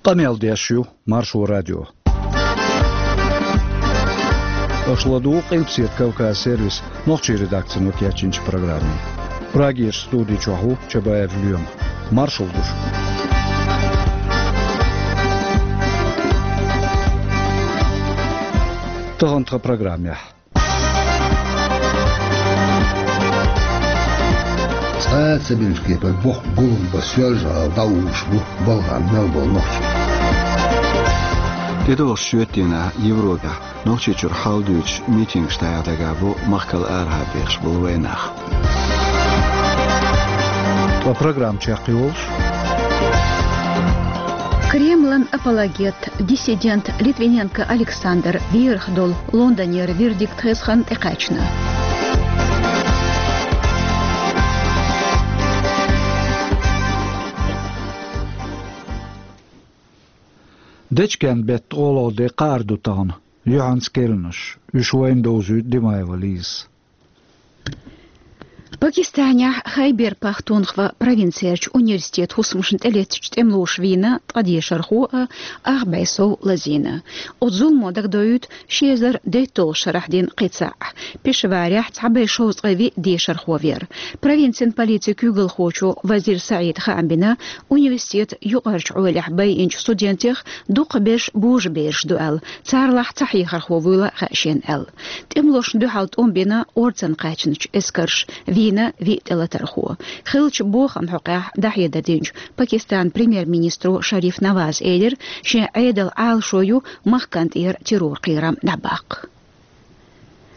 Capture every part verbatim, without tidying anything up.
Къамел деш ю Маршо радио. Аша ладугӀу Къилбаседа Кавказ сервисан нохчийн редакцино кечйинчу программе. Прагерчу студи чохь ву Чабаев Лоьма. Маршалла ду шуьга. Тахана тхан программехь. Цкъа а ца бинчу кепара боккха гулам бан Соьлжа-ГӀала дӀаухуш бу балхана мел болу нохчий. ТӀедогӀучу шоьтан дийнахь Европехь Нохчийчуьра хьал дуьйцуш митингаш дӀаяхьа дагахь бу махкал арахьара бехаш болу вайнах. Ткъа программа чекхйолуш. Кремлан апологет, диссидент Литвиненко Александр верах долу Лондонера вердикт хезна тӀекхаьчна. Дечкен-беттан олалла де кхаар ду тахана, юьхьанца керланаш, уьш вайна довзуьйту Димаева Лизас. Пакистанехь Хайбер-Пахтунхва провинцерчу университетан хӀусамашна тӀелеттачу тӀемалоша вийна ткъа дешархо а, ах бӀе сов лазийна. Оцу зуламо дагадоуьйту ши эзар дейтталгӀачу шарахь дина кхин цхьаъ. Пешаварехь цхьа бӀе шовзткъе виъ дешархо вера. Провинцин полицин куьйгалхочо Вазир СаӀида хаам бина, университетан юкъарчу Ӏолехь байинчу студентех дукхахберш божабераш ду аьлла, царлахь цхьа хьехархо вуйла хаьа шена аьлла. ТӀемалошна дуьхьал тӀом бина орцанна кхаьчначу эскарша, вийна виъ тӀелатархо. Хиллачу бохамна хьокъехь дӀахьедар динчу Пакистанан премьер-министро Шариф Наваза элира, шен Ӏедалан Ӏалашо ю махкана тӀера террор-кхерам дӀабаккха.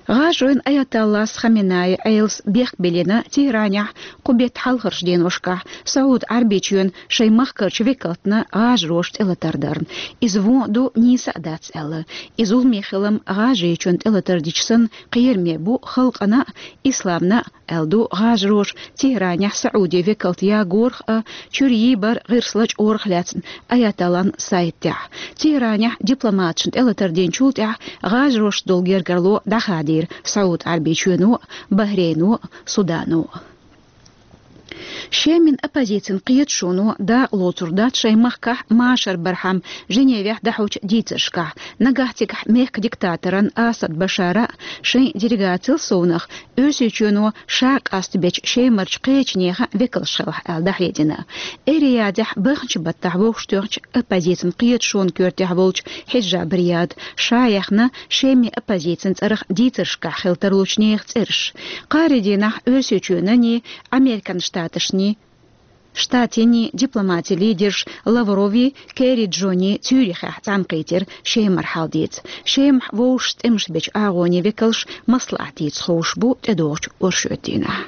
ГӀажаройн аятоллас Хаменаи Ӏелас бехк биллина Тегьранехь кху беттан хьалхарчу деношкахь СаӀуд-Ӏаьрбийчоьнан шайн махкарчу векалтна гӀажароша тӀелатар дарна. Иза вон а ду, нийса а дац аьлла. И зуламе хилам ГӀажарийчоьнна тӀелатар дича санна кхераме бу халкъана а, исламна а, аьлла ду гӀажароша Тегьранехь СаӀудийн векалт ягорах а, чуьра йийбар гӀирс лачкъорах а лаьцна аятоллан сайта тӀехь. Тегьранехь дипломаташна тӀелатар динчул тӀаьхьа гӀажаршца долу гергарло дӀахадийра СаӀуд-Ӏаьрбийчоьно а, Бахрейно а, Судано а. Шеман оппозицин кхеташоно дакъа лоцур дац шайн махкахь машар бархьама Женевехь дӀахьочу дийцаршкахь. Нагахь цигахь мехкан диктаторан Асад Башара а, шайн делегациял совнах, Оьрсийчоьно ша къастабечу Шемарчу кхечу нехан векалш хилахь аьлла дӀахьедина. Эр-Риядехь баханчу баттахь вовшахтоьхначу оппозицин кхеташонан коьртехь волчу Хьиджаб Рияда ша яьхна Шеман оппозицин цӀарах дийцаршкахь хила тарлучу нехан цӀераш. Кхаарин дийнахь Оьрсийчоьнанний, Американ Штаташний, Штатийн дипломатийн лидерш Лаврови, Керри Джони Цюрихехь цхьаьнакхийтира Шемара хьал дийца. Шемахь вовшашца тӀемаш бечу агӀонийн векалш маслаӀат дийца ховш бу тӀедогӀучу оршотдийнахь.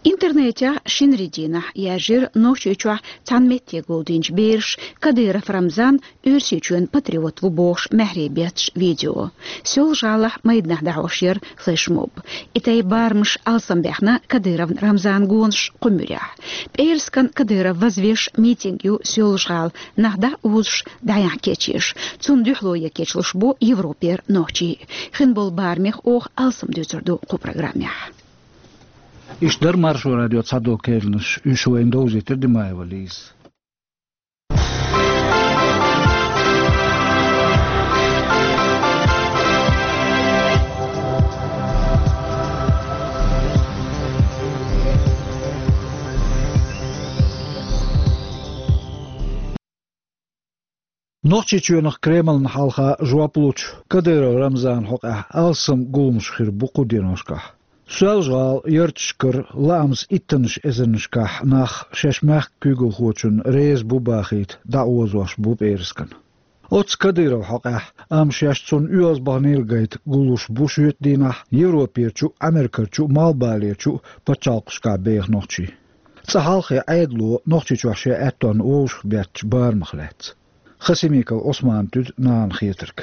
Интернетехь шинарин дийнахь яьржира Нохчийчохь цхьана метте гулдинчу бераш Кадыров Рамзан Оьрсийчоьнан патриот ву бохуш маьхьарий бетташ видео. Соьлжа-ГӀалахь майданахь дӀахьош яра флешмоб. И тайпа барамаш алсамбаьхна Кадыров Рамзанан гонаш кху муьрехь. ПӀераскан Кадыров вазвеш митинг ю Соьлжа-ГӀала, нах дӀа а узуш, дӀаяхьа кечъеш. Цунна дуьхьало ян кечлуш бу Европера нохчий. Хин болу барамех оха алсам дуьйцур ду кху программехь. Иштта дара Маршо радион цхьадолу керланаш, уьш вайна довзийтира Димаева Лизас. Нохчийчоьнах Кремлна хьалха жоп лучу Кадыров Рамзанан хьокъехь алсам гуламаш хир бу кху деношкахь. Соьлжа-ГӀала ярташкара лаамца иттаннаш эзарнашкахь нах шаьш мехкан куьйгалхочунна реза бу бахийта дӀаозош бу пӀераскан. Оцу Кадыровн хьокъехь, амма шаьш цунна оьздангалла гайта гуллуш бу шоьтан дийнахь Европерчу а, Америкерчу а, Малхбалерчу а пачхьалкхашкахь беха нохчий. Цкъа хьалххе Ӏедало Нохчийчохь шен аьттонна вовшахбеттачу барамах лаьцна. Хасимиков Ӏусмана туьду нахана хетарг.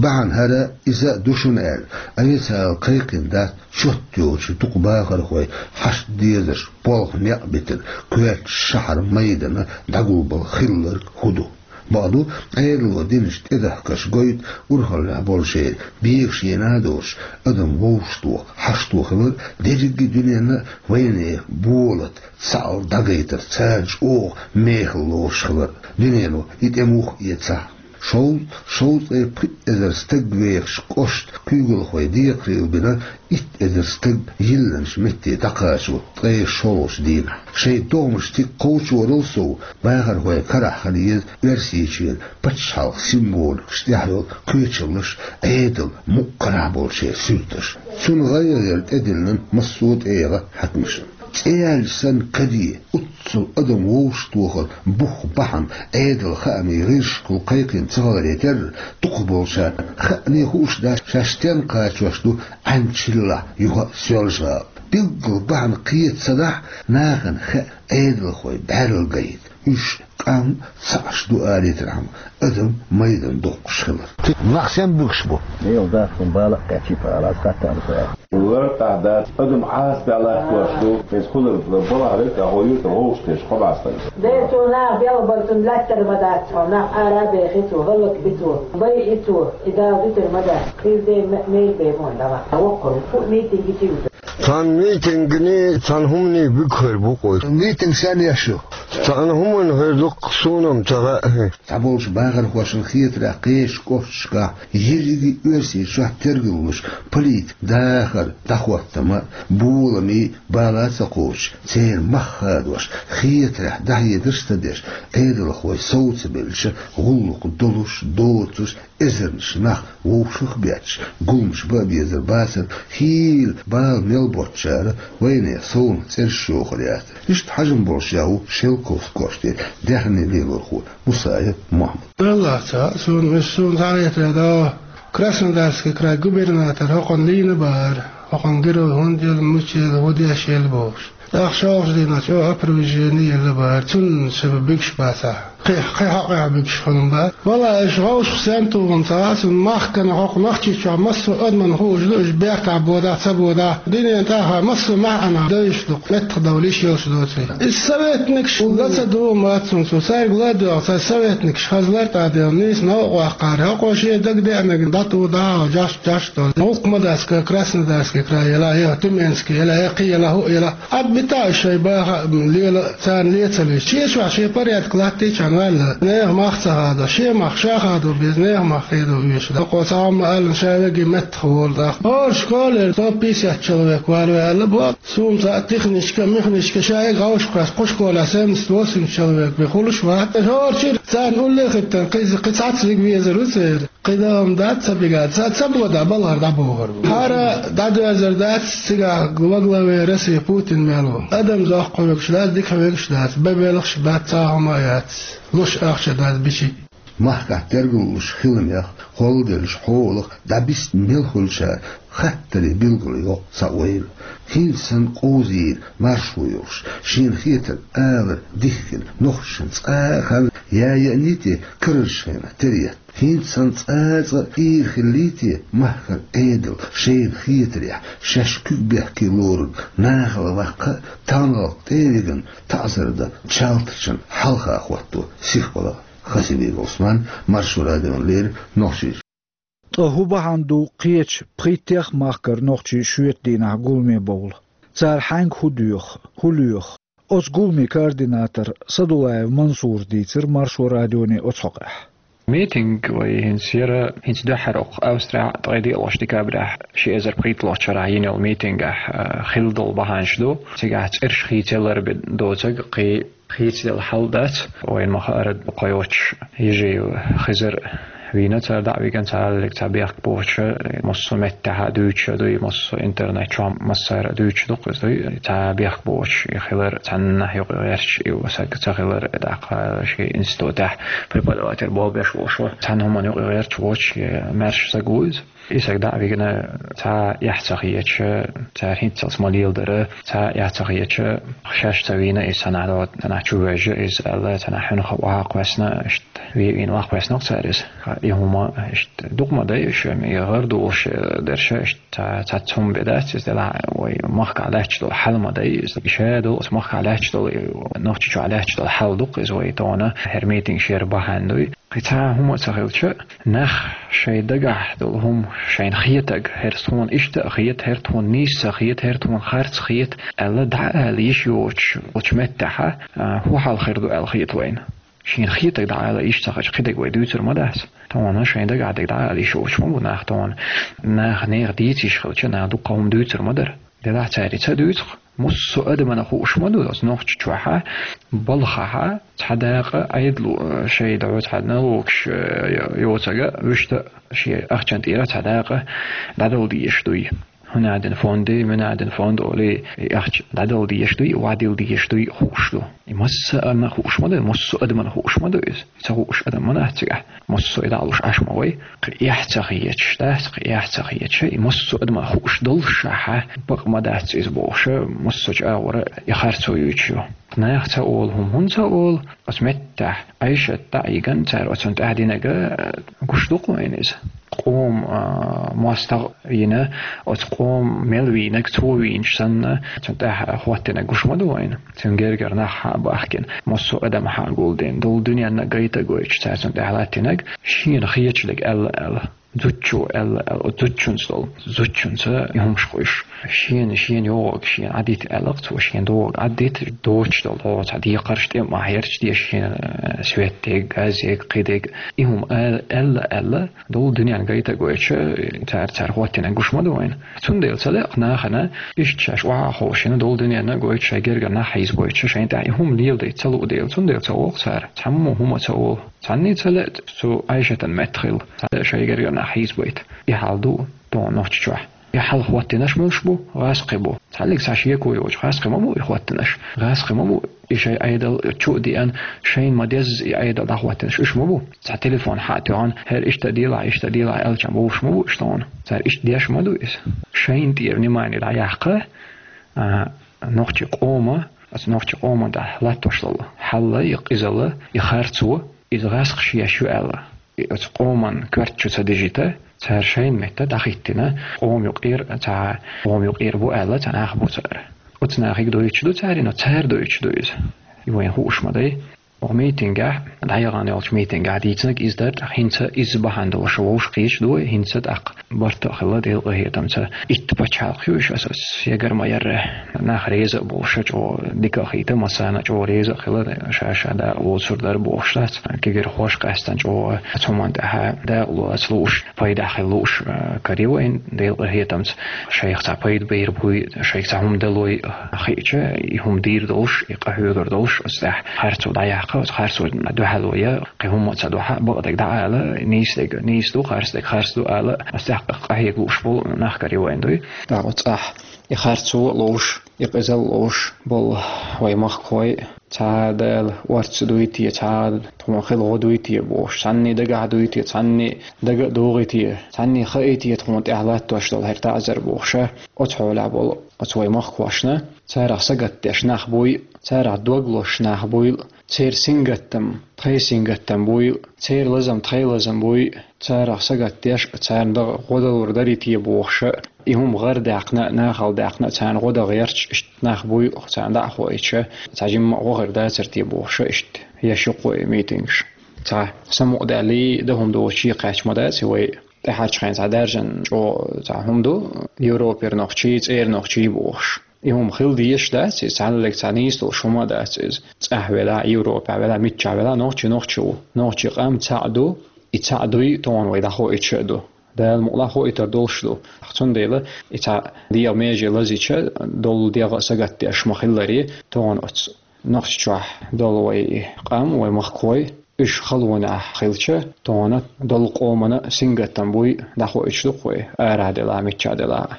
Бахьана хӀара, иза а ду шуна аьлла, официалан кхайкхина дац чот йоцуш дукха бахархой хьашт дезарш болх некъ битина коьртачу шахьар майдана дӀагулбала хилларг хӀун ду. Бакъду, Ӏедало динаш тӀедахкаш гойту урхаллехь болчеран бегаш ена а долуш, адам вовшахтоха хьашт хилар, дерриге дуьненна а вайнехан болат цхьаалла дӀагайтар, царна чӀогӀа мехала лоруш хилар. Дуьнено и тӀе муха эцахь? Шовзткъе, шовзткъе пхи эзар стаг вехаш кӀошт куьйгалхой декхарийлабина, итт эзар стаг йиллинчу метте дӀакхачо ткъе шолгӀачу дийнахь. Шайн догӀмаш стиг кхочорал сов, бахархойн карахь хила еза Оьрсийчоьнан пачхьалкхан символикаш тӀехь йолу кхечаллаш, Ӏедал мукъа карахь болчеран суьрташ. Цунна гӀайгӀа яр тӀедиллина массо а тӀегӀан хьаькамашна. ЦӀе яьлча санна каде, уццул адам вовшахтохар бух бахьана Ӏедалан хаамийн гӀирсашкахула кхайкхина ца хиларе терра, дукхахболчарна хаьане хууш дац, шаьш стенна кхачош ду Ӏаьнан чиллахь юха а Соьлжа-ГӀала. Билггал бахьана кхета ца дахь, нахана хаьа Ӏедалхой бӀаьрла гайта. Уьш къам цхьаъш ду алийтархьама, адам майдан доккхуш хилар. Нах сен буьгуш бу? Мел дахкун бала а кхечи пара аз хаттар ца. Лартахь дац, адам Ӏаса баьллакхош ду, иза хӀунар балахь верг а гӀо юрта вовшахтеш кхо бӀаьстагаш. Дера цо нах белхабар цунна лаьттар ма дац, цо нах ара а бехи цо, гӀаллакх би цо, бай и цо, и Дала дуьтур ма дац, хир ден ме-, мел бен мо дала. Воккхар ву, митинг и чуьра. Цхьана митингний, цхьана хӀуманий буьгу хир бу-кх вай. Митинг сен еш ю? Цхьана хӀуманна хир ду-кх, суна-м ца хаьа. Цхьаболчу бахархошна хетарехь, кхечу кӀошташкахь ерриге а Оьрсийчохь тергаллуш, политикан дахар, дӀахӀоттам а, болам а бала а ца кхочуш, церан мах хадош, хетарехь дӀахьедарш а ца деш, Ӏедалхой сов ца белча, гӀуллакх долуш, доцуш, эзарнаш нах вовшах а бетташ, гуламаш бан а безар бацара, хийла бала мел боцучара вайнехан совнаха цӀераш йохур яцара. Иштта хьажам болуш ян ву Шелковски кӀоштара даьхни лелорхо Мусаев Мохьмад. Аллах ца, суна, суна цхьа а хетарехь, Краснодарский край губернатор хӀокхунна лийна бахара, хӀокхунна герой хӀунда елла, мича елла, хӀун деш елла бохуш. ТӀаккха шолгӀачу дийнахь чӀогӀа опровержение елла бахара, цунна ша буьгуш бацахь. Кхин, кхин хьокъехь буьгуш хилла бара. Валлахь, аша вовшах сен туху-м ца хаьа суна, махкана хӀокху Нохчийчохь массо а адамна хууш ду, уьш бертахь бодахь, ца бодахь, дуьненан тӀехь массо а маьӀнах девзаш ду-кх, меттахдовла йиш йолуш доций. Иза советникаш ла ца дугӀу ма цунна цо, цаьрга ла а доьгӀу, цхьа советникаш хаза лартӀахь делла, нийса новкъа ваккхара, хӀокхо шен дагадеанарг дӀатӀу дӀа а, жаш, жаш долу. ГӀуллакх ма дац, Краснодарский край елахь, я Тюменский елахь, я кхин елахь, хӀу а елахь. Ӏад бита а шайн баха а лела, царна ле ца луьйш. Шен чохь шен порядок латтийчхьана ваьлла, нехан мах ца хадо, шен мах ша хадо беза, нехан мах хедо оьшуш дац. Хьо цхьа хӀума аллан ша веги меттах волу тӀаккха. ХӀора школера сто пятьдесят человек вала ваьлла боху. Суна цхьа техничка, механичка ша веги гӀовшкхоьссина, кху школехь семьдесят восемьдесят человек бен хуьлуш вац. ХӀора чуьра царна улле а хӀиттина, кхин, кхин цхьацца вига везар ву церан. Кхидолу дац ца бигар, ца, ца бода балхара дӀабохур бу. ХӀара дӀадоьзар дац, цигахь во главе России Путин мел ву. Адам зохкахвуьгуш дац, дикахвуьгуш дац, бан белхаш бац, цхьа хӀума а яц, луш ахча дац бичи. Махкахь тергаллуш хиламех, холладеллачу хьолах дӀабисна мел хуьлучара хаттарийн билгало йоккху цхьа ойла. ХӀинца санна къовзийна маршо йолуш, шена хетарг алар дихкина нохчашна цкъа а хан я яъний те карарчу хенахь тера етта. ХӀинца санна цкъа а цкъа а ийра хиллий те махкара Ӏедал шайна хетарехь, шаьш куьг бехке лорург нахала ваккха а, таханлерниг тӀе а вигина, таӀзар дан чалтачун хьалха хӀотто сихвала. Хасимиков Ӏусман, Маршо радиона леррина, Нохчийчоь. Ткъа хӀун бахьана ду кхечу пхийттех махкара нохчий шоьтан дийнахь гуламе бовла? Цара хьаьнга хӀун доьху, хӀун лоьху? Оцу гуламан координатор Садулаев Мансура дийцира Маршо радионе оцу хьокъехь. Митинг вай хӀинца яра, хӀинца дуьххьара окху Австрехь ткъе диъалгӀачу декабрехь ши эзар пхийтталгӀачу шарахь йина йолу митингехь, а, хилла долу бахьанаш ду. Цигахь цӀераш хийцаялар бен доцург кхин хийцаделла хьал дац. Вайна ма-хаъара, кхойолчу Ежиев Хизар вийна цара дӀа а вигина, цхьа аллиг цхьа бехк боцуша, массо а меттехь а дуьйцуша дуй, массо а интернет чохь массара а дуьйцуш ду-кх иза дуй. Цхьа бехк боцуш и хилар, цхьаннахь юкъа гӀерташ и саг ца хилар, тӀаккха шен институтехь преподаватель болх беш волуш ву. Цхьана хӀуманна юкъа гӀерташ воцуш, и маьрша саг ву иза. И саг дӀа а вигина, цхьа а эхь ца хеташ, цара хӀинццалц ма леладара, цхьа а эхь ца хеташ, шаьш ца вийна иза цхьанхьа, цхьанхьа чу вевза иза аьлла, цхьанхьа хьуьнах ваха кхоьссина, иштта ве-, вийна ваха кхоьссина-кх цара иза. И хӀума иштта дукха ма дай, уьш гӀар дулуш дерш, иштта цхьа, цхьацца хӀума бен дац иза, делахь вай махкахь лаьтташ долу хьал ма дай иза. И ша долу оцу махкахь лаьтташ долу, и Нохчийчохь лаьтташ долу хьал ду-кх иза вай тахана, хӀара митинг шера бахьана дуй. Цхьа хӀума ца хилча, нах шайн дагахь долу хӀума шайна хетаг, хӀара тхуна иштта а хета, хӀара тхуна нийса ца хета, хӀара тхуна харц хета аьлла, дӀаала йиш йоцуш оцу меттехь, а, хӀун хьал хир ду аьлла хета вайна. Шена хетаг дӀаала йиш ца хилча, кхидерг вай дуьйцур ма дац. Тхуна шайн дагахь дерг дӀаала йиш йоцуш ма бу нах, тхуна наха нехан дийца йиш хилча, наха дуккха хӀума дуьйцур ма дара. Делахь цара и ца дуьйцу-кх. Массо а адамана хууш ма ду оцу Нохчийчохь, балхахь, цхьа дакъа Ӏедало, э, шайн дӀо цхьа налогаш, э, йоцург, вуьшта шен ахчанан тӀера цхьа дакъа дӀадала дезаш дуй. ХӀун аьлла фонд, муьлха аьлла фонд олий, и ахча дӀадала дезаш дуй, вадила дезаш дуй, хууш ду. И массарна хууш ма ду, массо а адамана хууш ма ду иза. Ца хууш адам ма дац цигахь. Массо а дӀа а луш Ӏаш ма вай. Кхин эхь ца хеташ дац, кхин эхь ца хеташ, и массо а адамана хууш доллушехь, бакъ ма дац иза бохуш, массо а чӀагӀо и харцо юьйцуш ю. Наха ца олу хӀума хӀунда ца олу? Оцу меттехь Ӏайшат дӀа а йигна, цара оцунна тӀаьхьа динарг, э, гуш ду-кх вайна иза. Къоман, а, мостагӀа вийна, оцу къоман мел вийнарг цо вийначу санна, оцунна тӀаьхьа хӀоттийнарг гуш ма ду вайна. Цуьнан гергара нах хьа а бахкина, массо а адам хьа а гулдина, долу дуьненна гайта а гойтуш, цара цунна тӀаьхьа латтийнарг, шена хеташ дерг аьлла аьлла. Зудчо аьлла аьлла, оцу зудчуьнца долу, зудчуьнца и хӀумаш кхуьйсуш. Шена, шена йогӀург шена Ӏадита аьлла-кх цо, шена догӀург Ӏадита, доцуш долу хьо цхьа декхарш тӀе а ма хьерча, деза шена, э, свет дерг, газ ерг, кхин дерг. И хӀума аьлла, аьлла, аьлла, долу дуьненна гайта а гойтуш, цара, цара хӀоттийнарг гуш ма ду вайна. Цундела ца лаьа-кх нахана, иштта шаьш охьа а ховшийна, долу дуьненна а гойтуш, шайн гергара нах хьийзабойтуш, шайна тӀехь и хӀума леладайта ца луу дела, цундела ца олу-кх цара, цхьаммо хӀума а ца олу. Цхьанний ца лаьа цу Ӏайшатан метта хила, цхьа шайн гергара нах хьийзабайта. И хьал ду тхуна Нохчийчохь. И хьал хӀоттийнарш муьлш бу? ГӀазкхий бу. Цхьаллиг цхьа шеко йоцуш гӀазкхий ма бу и хӀоттийнарш. ГӀазкхий ма бу и шайн Ӏедал чу а деана, шайна ма-дезза и Ӏедал дӀахӀоттийнарш. Уьш ма бу. Цхьа телефон хьа а тоьхна, хӀара иштта делахь, иштта делахь аьлча бовлуш ма бу уьш тхуна. Цара иштта деш ма ду иза. Шайна тӀера внимание дӀаяккха, а, нохчийн къоман, оцу нохчийн къоман тӀехь латтош долу хьал, и къизалла, и харцо, иза гӀазкхаша еш ю аьлла. И оцу къоман коьрта чу ца дижийта, цара шайна метта дӀахӀиттина, къоман юкъера, цхьа къоман юкъера бу аьлла, цхьа нах бу цара. Оцу нахе дойтуш ду цара, но цара дойтуш ду иза. И вайна хууш ма дай. Оха митингехь, дӀаяхана йолчу митингехь дийцинарг иза дара, тӀаккха хӀинца иза бахьана долуш вовшахкхеташ ду вай, хӀинца тӀаккха барт а хилла, Делан къинхетамца. Итт пачхьалкх ю уьш, аса ас егар ма ярра. Нах реза а болуш, чӀогӀа дика а хийта, массарна а чӀогӀа реза а хилла, ша-ша дакъа лоцур дара бохуш дац. Кегийрхоша къаьстина чӀогӀа оцу хӀуманна тӀехь дакъа лаца лууш, пайдехь хила лууш, а, карийна вайна, Делан къинхетамца. Шайх цхьа пайда бер буй, шайх цхьа хӀума далой хиъча, и хӀума дийр долуш, и къахьоьгур долуш, оцу тӀехь харцо дӀаяккха, оцу харцо дуьхьало я, кхин хӀумма а ца дуьхьа, бакъдерг дӀаала, нийсадерг нийса ду, харцдерг харц ду ала, оцу тӀехь къахьега лууш болу нах карийна вайна дуй. ТӀаккха оцу цӀахь и харцо а ловш, и къизалла ловш болу вай махкахой, цхьа Дала орца дуй те, цхьа тхуна хила гӀо дуй те бохуш, цхьанний дагахь дуй те, цхьанний дага а догӀий те, цхьанний хаий те тхуна тӀехь латтош долу хӀара таӀзар бохуша, оцу хьолехь болу оцу вай махкахошна, царах сагатдеш нах буй, царах дог лозуш нах буй, церан сингаттам тхайн сингаттам буй, церан лазам тхайн лазам буй, царах сагатдеш, царна дагӀа гӀо далур дарий те бохуша, и хӀума гӀарадаьккхина, нахала даьккхина, царна гӀо дан гӀерташ, иштта нах буй, царна дӀа а хоуьйтуша, цхьа жимма а гӀо хир дацара те бохуша, иштта еш ю-кх вай митингаш. Цхьа самукъадаьллий, дан хӀума доцуш кхаьчна ма дац и вай. ТӀаьхьарчу хенахь цхьа даьржина чӀогӀа цхьа хӀума ду, Европера нохчий, цӀера нохчий бохуш. И хӀума хила дезаш дац иза, цхьаннега цхьа нийса долуш хӀума а дац иза. ЦӀахь велахь, Европехь велахь, миччахь велахь, нохчи нохчи ву. Нохчийн къам цхьаъ ду, и цхьаъ дуй тхуна вай дӀахоуьйтуш а ду. Дала мукъ лахь, хоуьйтур долуш ду. Цундела и цхьа дегӀан меже лазийча, долу дегӀ а сагатдеш ма-хиллара, тхуна оцу Нохчийчохь долу вай къам, вай махкахой, уьш халонехь хилча, тхуна долу къомана сингаттам буй дӀахоуьйтуш ду-кх вай, арахь делахь, миччахь делахь.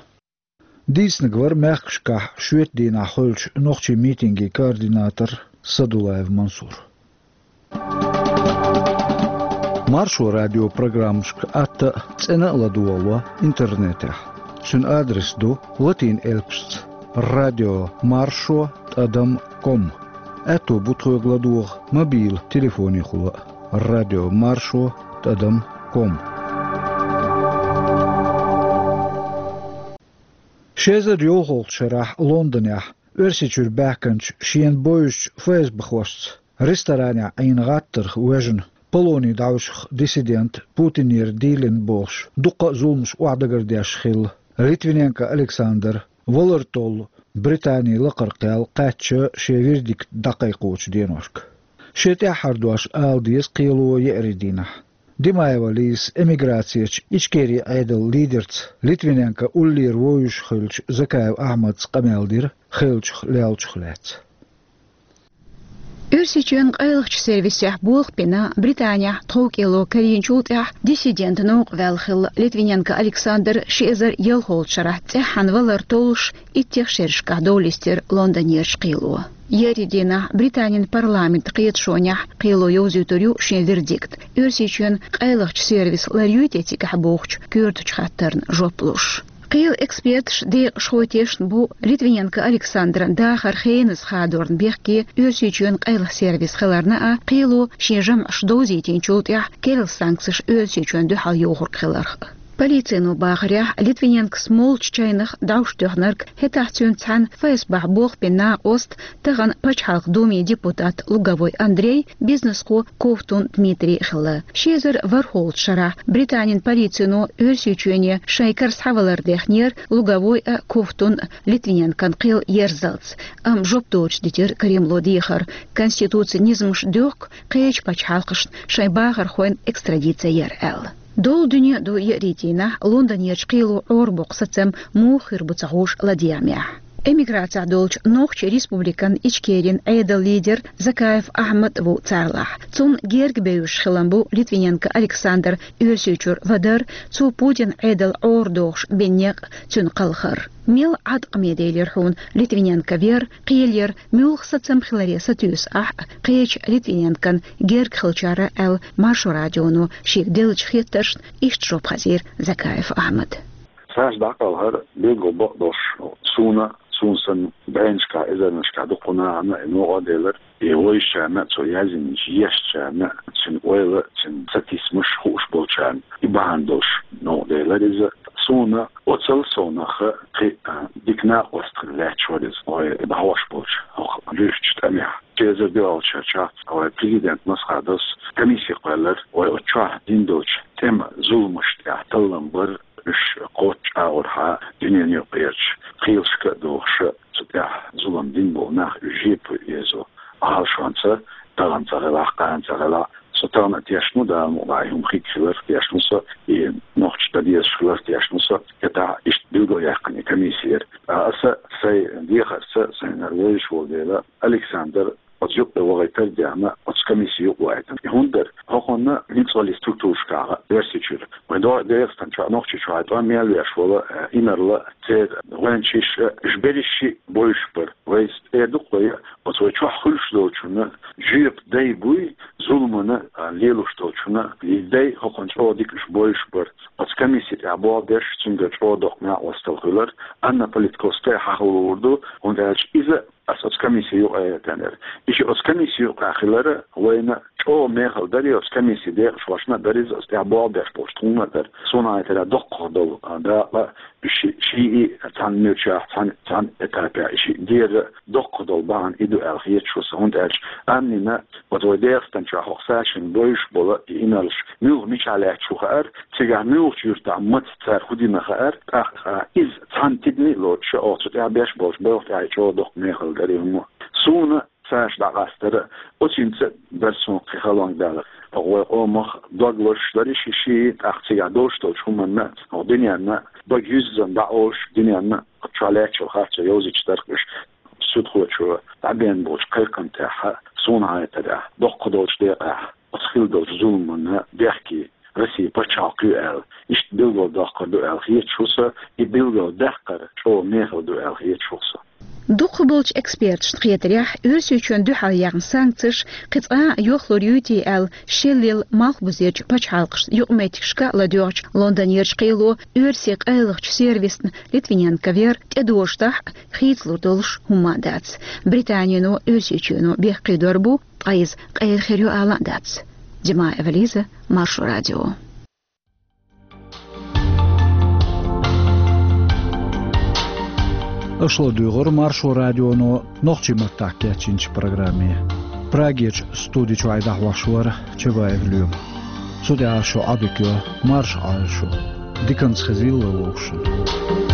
Дийцинарг вара мехкашкахь шоьтан дийнахь хуьлучу нохчийн митинган координатор Садулаев Мансур. Маршо радион программашка атта а, цӀена а ладогӀало интернетехь. Цуьнан адрес ду латин элпашца: радио маршо тӀадам ком. Аьтто бу тхоьга ладогӀа мобилан телефонехула а: радио маршо тӀадам ком. Ши эзар йолхалгӀачу шарахь Лондонехь Оьрсийчуьра баьхкинчу шена бовзучу ФСБхошца ресторанехь Ӏийна гӀаттарх воьжна Полоне дӀавуьжуш диссидент, Путинера дийлина бохуш, дуккха а зуламаш охьадагардеш хилла Литвиненко Александр валар толлу Британин лакхара кхел кхаьчча шен вердикт дӀакхайкхочу деношка. Шен тӀаьххьара дош ала деза кхело еарин дийнахь. Димаева Лизас эмиграцехь Ичкерин Ӏедалан лидерца Литвиненко уллера вовзуш хиллачу Закаев Ахьмадца къамел дира хиллачух леллачух лаьцна. Оьрсийчоьнан къайлахчу сервисехь болх бина Британехь тховкӀело карийначул тӀаьхьа диссидентан новкъа ваьлла хилла Литвиненко Александр ши эзар ялхолгӀачу шарахь цӀеххьана валар толлуш иттех шерашкахь дов листира Лондонерчу кхело. Еарин дийнахь Британин парламентан кхеташонехь кхело йовзуьйтур ю шен вердикт, Оьрсийчоьнан къайлахчу сервис ларйуьйту цигахь бохучу коьртачу хаттарна жоп луш. Кхелан эксперташ декъашхой тешна бу Литвиненко Александран дахар хеназа хадорна бехке Оьрсийчоьнан къайлаха сервис хиларна а, кхело шен жамӀаш довзийтинчул тӀаьхьа керла санкцеш Оьрсийчоьнна дуьхьал йохург хиларх а. Полицино бахарехь, Литвиненкос молчу чайнах дӀовш тоьхнарг, хӀетахь цуьнца цхьаьна ФСБ-хь болх бина накъост, тахана Пачхьалкхан Думин депутат Луговой Андрей, бизнесхо Ковтун Дмитрий хилла. Ши эзар ворхӀолгӀачу шарахь Британин полицино Оьрсийчоьне шайн кара схьавалар дехнера Луговой а, Ковтун а Литвиненкон кхел ерзалц, амма жоп доцуш дитира Кремло дехар, конституцин низамаш доьхку кхечу пачхьалкхашна шайн бахархойн экстрадици яр аьлла. Долу дуьне ду еарин дийнахь Лондонерчу кхело Ӏорабоккху сацам муха хир бу ца хууш ладегӀамехь. Эмиграцехь долчу Нохчийн Республикан Ичкерин Ӏедалан лидер Закаев Ахьмад ву царлахь. Цунна герга бевзаш хилам бу Литвиненко Александр Оьрсийчуьра вадар, цо Путинан Ӏедал Ӏорадохуш бина некъ, цуьнан кхалхар. Мел Ӏаткъаме делира хьуна Литвиненко вер, кхелаяр муьлха сацам хиларе сатуьйсу ахь а, кхечу Литвиненкон герга хиллачара аьлла, Маршо радионо шега деллачу хеттаршна иштта жоп хазийра Закаев Ахьмада. Цаьрца дӀакхалхар билггал бакъдолуш суна, суна санна, бӀеннашкахь, эзарнашкахь дукха нахана и новкъа делира, и вайшачарна, цо яздинчу ешачарна, цуьнан ойла, цуьнан сатийсамаш хууш болчарна и бахьана долуш новкъа делира иза. Суна оццул совнаха кхин а дика накъост хила лаьтташ вара иза вай дӀахьош болчу хӀокху луьрачу тӀамехь. Ши эзар доьалгӀачу шарчохь вай президент Масхадовс комисси кхоьллира, вай оцу чохь дина долчу тӀеман зуламашна тӀехь таллам бар, уьш кхоччуш агӀорхьа дуьненан юкъарчу кхелашка а дохуш, цу тӀехь зулам дина болу нах уьш жепа езо. Ӏалашонца, тахана ца хилахь, кхана ца хилахь, со тахана а тешна ву, Дала мукъ лахь, и хӀума хиг хиларх тешна ву со, и нохчаша дан дезаш хиларх тешна ву со, хӀетахь иштта билгалъяьккхина и комисси яра. Ткъа аса сайн дехарца, сайна хӀара вевзаш волу дела, Александр оцу юккъе вахийтар а даьхна, оцу комисси юкъа вахийтина. И хӀунда дара? ХӀокхунна ницкъаллин структурашкахь, Оьрсийчуьра, вайн ДегӀастан чохь, Нохчийчохь тӀом мел веш волу, э, инарла, церан гӀоьнчаш, э, уьш берриш а бовзуш бара. Вайца тӀера ду-кх вай, оцу вай чохь хуьлуш долчунна жоьпа дай буй, зуламана, а, лелош долчунна и дай, хӀокхунна чӀогӀа дика уьш бовзуш бара. Оцу комисси тӀехь болх беш, цуьнгара чӀогӀа доккха накъосталла хуьлура. Анна Политковская хьахо луур ду, хӀунда аьлча иза аса оцу комисси юкъа а вахийтинера. И ши оцу комисси юкъахь хилар вайна чӀогӀа мехала дара, и оцу комиссин декъашхошна а дара иза, оцу тӀехь болх беш болчу тхуна а дара. Суна хетарехь, доккхах долу, а, дакъа, и ши, шиъ а цхьана муьрчехь, цхьана, цхьана этапехь и шиъ дера доккхах долу бахьана и ду аьлла хеташ ву сан, хӀунда аьлча Аннина оцу вай ДегӀастан чохь хӀокху Сашина бовзуш болу и инарлаш муьлха, мичахь лаьтташ ву хаьара, цигахь муьлхачу юьртахь маца цара хӀун дина хаьара, тӀаккха иза цхьана тидаме а лоцуш, оха цу тӀехь беш болчу балха тӀехь и чӀогӀа доккха мехала дара и хӀума. Суна Саша дӀакъастара, оцуьнца дара суна кхин халонга далар. Оха вай къомах дог лозуш дара и ши, шиъ, тӀаккха цигахь долуш долчу хӀуманна, оха дуьненна бага юьззина дӀаолуш, дуьненна чохь лаьттачул харцо йовзуьйтуш дара-кх уьш. Судхочо дӀабеана болчу кхайкхам тӀехь, суна хетарехь, доккха долчу декъехь оцу хилла долчу зуламанна бехке Россин пачхьалкх ю аьлла, иштта билгалдоккхур ду аьлла хеташ ву сан, и билгалдаккхар чӀогӀа мехала ду аьлла хеташ ву сан. Дукхахболчу эксперташна хетарехь, Оьрсийчоьнна дуьхьал яьхна санкцеш кхин цкъа а йохлур юй-те аьлла, шеллел малхбузерчу пачхьалкхашна юкъаметтигашка а ладоьгӀучу Лондонерчу кхело оьрсийн къайлахчу сервисна Литвиненко вер тӀедожадахь а, хийцалур долуш хӀумма дац. Британино Оьрсийчоьно бехке дор бу, ткъа иза къера хир ю ала а дац. Димаева Лиза, Маршо радио. Аша ладуьйгӀура Маршо радионо нохчийн маттахь кечйинчу программе. Прагерчу студи чуьхь дӀахьош вара Чабаев Лоьма. Цу тӀехь шу Ӏодика йо, марша Ӏойла шу. Диканца хезийла вовшашна.